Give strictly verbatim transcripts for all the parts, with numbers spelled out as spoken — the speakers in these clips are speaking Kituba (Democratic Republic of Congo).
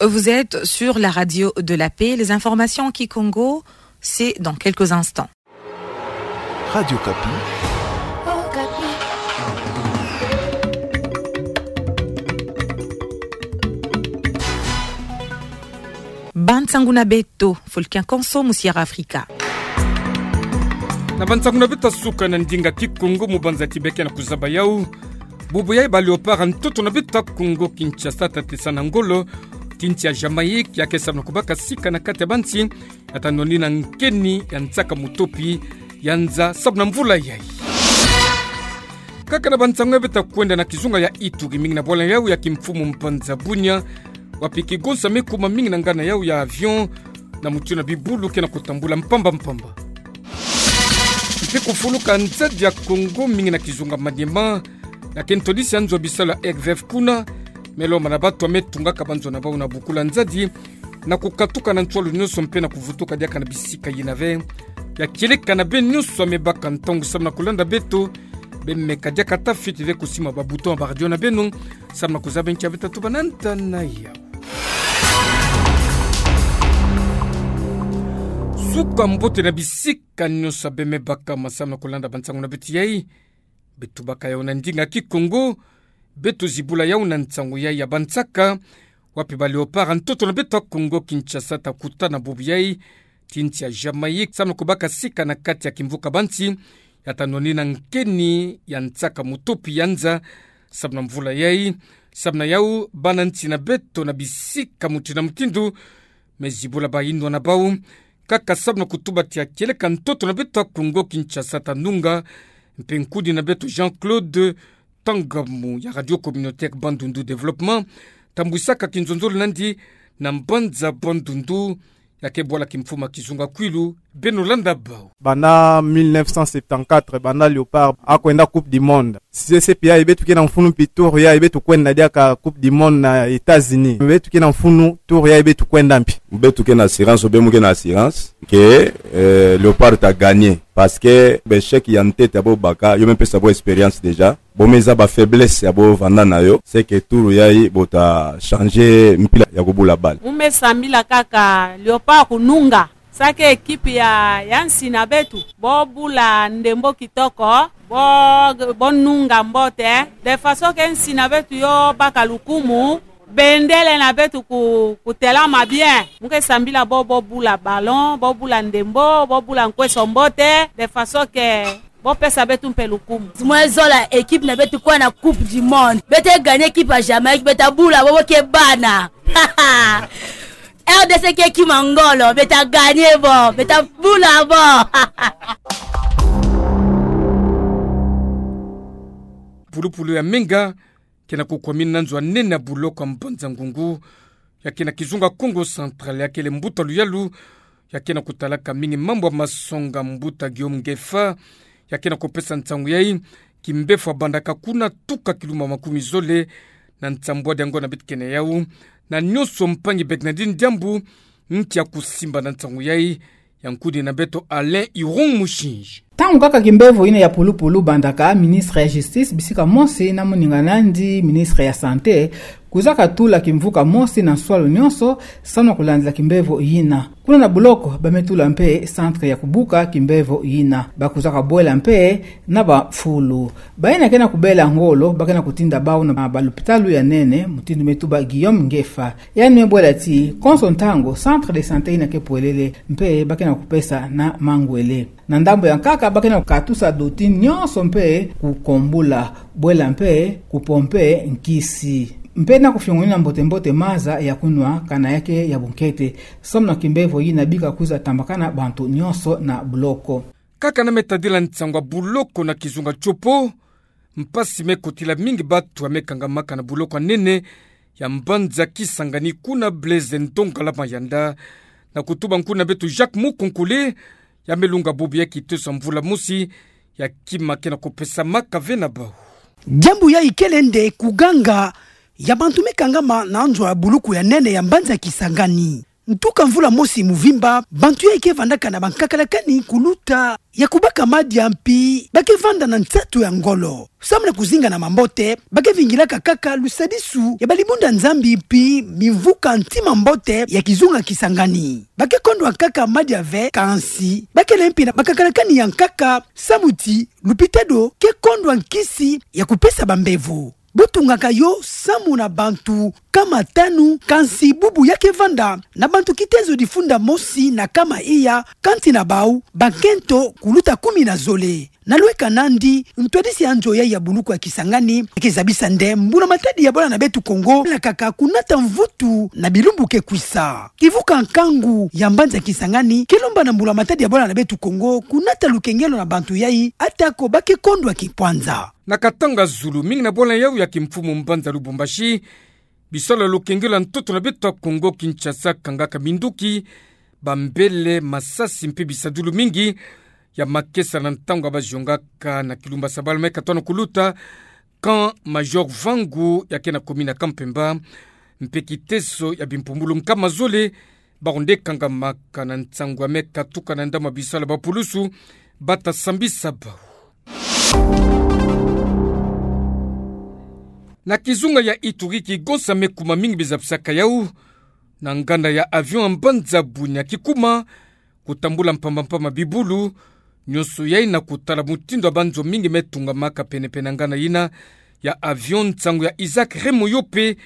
Vous êtes sur la radio de la paix. Les informations en kikongo, c'est dans quelques instants. Radio Okapi. Bansangu na beto, Fulkin Konso, mu Sierra Africa. Na bansangu na beto ya suka na ndinga kikongo mu banza ti beke na kuzaba yau. Bubu yai ba Léopard ntoto na beto ya Kongo Kinshasa tatesa na ngolo ti nsi ya Jamaïque, ya ke samu na kubaka sika na kati ya bansi ya tanoni na nkeni ya nsaka mutopi ya nza samu na mvula yai. Kaka na bansangu ya beto ya kwenda na kizunga ya Ituri, mingi na bwala yau ya kimfumu mpanza Bunia, wapi kigonsa me kuma mingi na ngana yau ya avion na mutindu na bibulu ke na kutambula mpamba mpamba. Mpe kufuluka nzadi ya Kongo mingi na kizunga Maniema, na ke ntodisi ya nzo ya bisalu ya R V F kuna, me lomana bantu ya me tungaka banzo na bau na bukula nzadi, na kukatuka na nswalu nyonso mpe na kuvutuka diaka na bisika yina ve. Ya kieleka na beno nyonso ya me baka ntangu samu na kulanda beto, be meka diaka ata fweti ve kusimba ba bouton ya ba radio na beno, samu na kuzaba nki ya beto ya tubana ntangu yau. Suka mbote na bisika nyonso ya be me baka ma samu na kulanda bansangu na beto yai. Beto baka yau na ndinga kikongo, beto zibula yau na nsangu yai ya bansaka, wapi ba Léopard ntoto na beto ya Kongo Kinshasa ta kutana bubu yai ti nsi ya Jamaïque, samu na kubaka sika na kati ya kimvuka bansi ya tanoni na nkeni ya nsaka mutopi ya nza samu na mvula yai. Samu na yau, bana nsi na beto na bisika mutindu na mutindu me zibula bayinwa na bau, kaka samu na kutuba ti ya kieleka ntoto na beto ya Kongo Kinshasa ta nunga, mpe nkudi na beto Jean-Claude Tangamu ya Radio Communautaire Bandundu Développement, tambwisaka kinzonzolo nandi na mbanza Bandundu, ya ke bwala kimfumu ya kizunga Kwilu, beno landa bau. Banda mille neuf cent septante-quatre, banda Léopard akwenda Coupe du Monde, C C P yai beto ke na mfunu mpi tour yai beto kwenda diaka Coupe du Monde na États-Unis. Beto ke na mfunu tour yai beto kwenda mpi. Beto ke na assurance, be mu ke na assurance ke, eh, Léopard ta gagner. Parce que b'échec ya ntete ya bo baka, yo me pesa bo expérience déjà. Bo me zaba faiblesse ya bo vanda na yo, c'est que tour yai bo ta changer mpila ya kubula balle. Mu me sambila kaka Léopard kununga. Sake équipe ya, ya nsi na beto, bo bula ndembo kitoko, bo, bo nunga mbote, de façon que nsi na beto yo baka lukumu, bendele na beto ku, kutelama bien. Mu ke sambila bo, bo bula ballon, bo bula ndembo, bo bula nkweso mbote, de façon que bo pesa beto mpe lukumu. Mu zola équipe na beto kwenda na Coupe du Monde. Beto gagner équipe ya Jamaïque, beto bula bo, bo ke bana. R D C ke kima ngolo, beto gagner bo, beto bula bo. Pulupulu ya menga ke na kukwamina na nzo ya nene ya buloko ya Mbanza-Ngungu, ya ke na kizunga Kongo Central, ya kele mbuta luyalu ya ke na kutalaka mingi mambu ya masonga, mbuta Guillaume Ngefa, ya ke na kupesa nsangu yai: Kimbevo ya bandaka kuna tuka kilumbu makumi zole na nsambwadi ya ngonda beto ke na yau, na nyonso mpangi Bernardine Diambu ntia kusimba na nsangu yai, ya nkudi na beto Alain Irung Mushinji. Ntangu kaka kimbevo yina ya pulupulu bandaka, ministre ya Justice bisika mosi na moninga nandi, ministre ya Santé, kwizaka tula kimvuka mosi na nswalu nyonso, samu na kulandila kimbevo yina. Kuna na buloko, ba me tula mpe centre ya kubuka kimbevo yina. Ba kwizaka bwela mpe na bafulu. Bayina ke na kubela ngolo, ba ke na kutinda bau na balupitalu ya nene, mutindu me tuba Guillaume Ngefa. Yandi me bwela ti, konso ntangu, centre de santé yina ke pwelele, mpe ba ke na kupesa na mangwele. Na ndambu ya nkaka, ba ke na kukatusa doti nyonso mpe kukombula, bwela mpe kupompe nkisi. Mpe na kufiongonina mbote-mbote maza ya kunwa, kana ya ke ya bunkete. Samu na kimbevo yina bika kwiza tambakana bantu nyonso na buloko. Kaka na me tadila nsangu ya buloko na kizunga Tshopo, mpasi me kotila mingi bantu ya me kangamaka na buloko ya nene ya mbanza Kisangani kuna Blaise Ndongala Mayanda, na kutuba nkuna beto Jacques Mukonkole, ya me lunga bubu ya kitosa mvula mosi ya kima ke na kupesamaka ve na bau. Diambu yai kele nde kuganga ya bantu me kangama na nzo ya buloko ya nene ya mbanza Kisangani. Ntuka mvula mosi muvimba, bantu yayi ke vandaka na bankakalakani kuluta ya kubaka madia mpi ba ke vanda na nsatu ya ngolo. Samu na kuzinga na mambote, ba ke vingilaka kaka lusadisu ya balibunda Nzambi mpi mimvuka ntima mbote ya kizunga Kisangani. Ba ke kondwa kaka madia ve, kansi ba kele mpi na bankakalakani ya nkaka samu ti lupitalo ke kondwa nkisi ya kupesa bambevo. Bo tungaka yo samu na bantu nkama tanu, kansi bubu ya ke vanda na bantu kitezo difunda mosi na nkama iya, kansi na bau bankento kuluta kumi na zole. Na lweka nandi, ntwadisi ya nzo yayi ya buluku ya Kisangani ke zabisa nde mbula matadi ya bwala na beto Kongo lakaka kunata mvutu na bilumbu ke kwisa. Kivuka nkangu ya mbanza Kisangani ke lomba na mbula matadi ya bwala na beto Kongo kunata lukengelo na bantu yayi, atako ba ke kondwa kipwanza. Na katanga zulu mingi na bwala yawu ya kimfumu mbanza Lubumbashi, bisalu ya lukengelo ya ntoto na beto ya Kongo Kinshasa kangaka minduki, bambele, masasi mpe bisadulu mingi ya makesa na ntangu ya baziongaka na kilumba sabalu me katona kuluta, camp Major Vangu ya ke na commune ya Camp Pemba, mpe kiteso ya bimpumbulu nkama zole, bawu nde kangamaka na nsangu ya me katuka na ndambu ya bisalu ya bapulusu ba ta sambisa bawu. Na kizunga ya Ituri, kigonsa me kuma mingi bizabisaka yawu na nganda ya avion ya mbanza Bunia, kikuma kutambula mpamba mpamba bibulu, nyonso yayi na kutala mutindu ya banzo mingi me tungamaka pene-pene na nganda yina ya avion. Nsangu ya Isaac Remoyope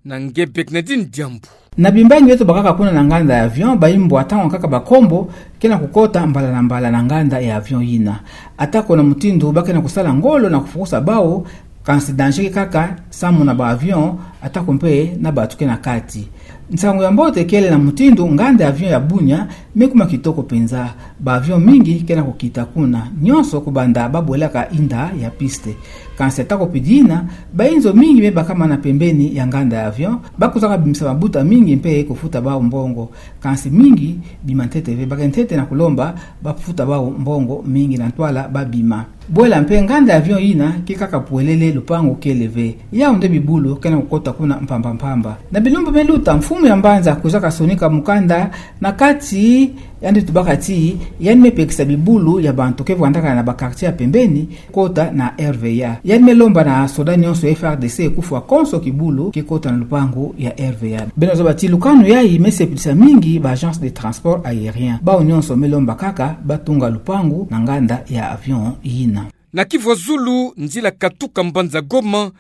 na nge Bernardine Diambu. Na bimbangi beto bakaka kuna na nganda ya avion, bayimbwa ntangu kaka bakombo ke na kukota mbala na mbala na nganda ya avion yina. Atako na mutindu ba ke na kusala ngolo na kufukusa bawu, kansi danger ke kaka samu na ba avion, atako mpe na bato ke na kati. Nsangu ya mbote kele na mutindu nganda ya avion ya Bunia me kuma kitoko mpenza. Ba avion mingi ke na kukita kuna, nyonso kubanda ba bwelaka inda ya piste. Kansi atako pidina, bayinzo mingi me bakama na pembeni ya nganda ya avion, ba kuzaka bimisa mabuta mingi mpe kufuta bawu mbongo. Kansi mingi bima ntete ve, ba ke ntete na kulomba ba futa bawu mbongo mingi na ntwala ba bima. Bwela mpe nganda ya avion yina ke kaka pwelele, lupangu kele ve. Yawu nde bibulu ke na kukota kuna mpamba mpamba. Na bilumbu me luta, mfumu ya mbanza kwiza kasonika mukanda na kati, yandi tubaka ti yandi me pekisa bibulu ya bantu ke vandaka na ba quartier ya pembeni kota na R V A. Yandi me lomba na soda nyonso ya F R D C kufwa konso kibulu ke kota na lupangu ya R V A. Beno zaba ti lukanu yayi me sepelisa mingi ba agence de transport aérien. Bawu nyonso me lomba kaka ba tunga lupangu na nganda ya avion yina. Na Kivu ya Zulu, nzila katuka mbanza Goma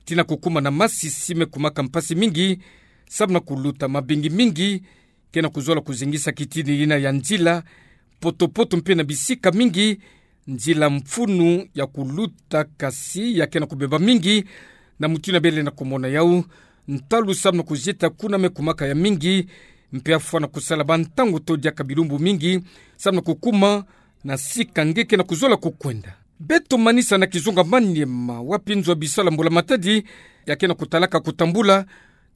tii na kukuma na Masisi me kumaka mpasi mingi, samu na kuluta mabingi mingi ke na kuzola kuzengisa kitini yina ya nzila, poto-poto mpe na bisika mingi nzila mfunu ya kuluta, kasi ya ke na kubeba mingi na mutindu bele na kumona yawu. Ntalu samu na kuzieta kuna me kumaka ya mingi, mpe afwa na kusala ba ntangu to diaka bilumbu mingi samu na kukuma na sika nge ke na kuzola kukwenda. Beto manisa na kizunga Maniema, wapi nzo ya bisalu ya mbula matadi ya ke na kutalaka kutambula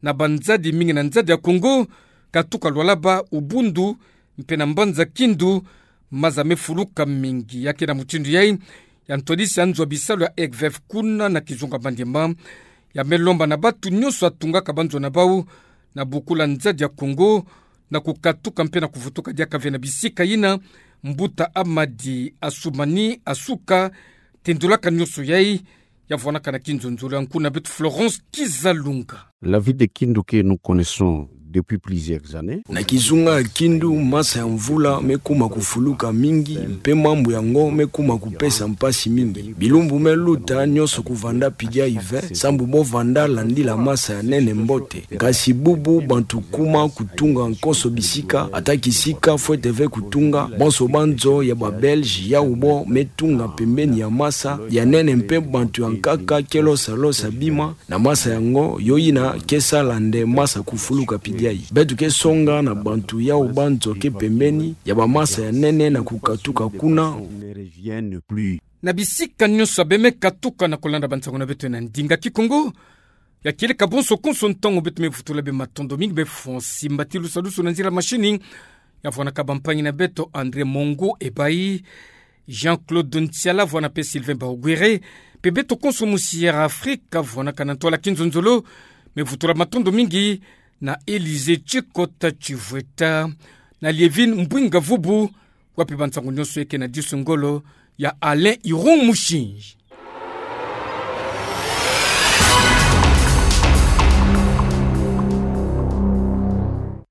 na banzadi mingi na nzadi ya Kongo, katuka Lualaba, Ubundu, mpe na mbanza Kindu, maza me fuluka mingi. Ya ke na mutindu yayi, ya ntwadisi ya nzo ya bisalu ya EGVEF kuna na kizunga Maniema ya me lomba na bato nyonso ya tungaka banzo na bawu na bukula nzadi ya Kongo na kukatuka mpe na kuvutuka diaka ve na bisika yina. Mbuta Amadi Assoumani Assoukha tendulaka nyonso yayi, ya vwanaka na kinzonzolo ya nkuna beto Florence Kizalunga. La ville de Kindu que nous connaissons depuis plusieurs années. Na kizunga ya Kindu, masa ya mvula me kuma kufuluka mingi, mpe mambu yango me kuma kupesa mpasi mingi. Bilumbu me luta nyonso kuvanda pidi ya hiver, sambu bo vanda landila masa ya nene mbote. Kasi bubu bantu kuma kutunga konso bisika, ata kisika fwete ve kutunga, bonso banzo ya ba Belge yawu bo me tunga pembeni ya masa ya nene, mpe bantu ya nkaka ke losa losa bima na masa yango, yo yina ke sala nde masa kufuluka pidi yayi. Beto ke songa na bantu yawu banzo ke pembeni ya ba masa ya nene na kukatuka kuna. Na bisika nyonso ya beno me katuka na kulanda ba nsangu na beto na ndinga Kikongo, ya kieleka bonso konso ntangu beto me vutula beno matondo mingi. Beno fwa simba ti lusadusu na nzila machine ya vwanaka bampangi na beto André Mongo Ebayi, Jean-Claude Ntiala, vwana mpe Sylvain Baogwere, mpe beto konso mu Sierra Africa vwanaka na ntwala kinzonzolo, me vutula matondo mingi na Elysée Tsikota Tsivueta, na Lievine Mbouinga Vubu, wapi ba nsangu nyoso eke na disu ngolo ya Alain Irung Musinzi.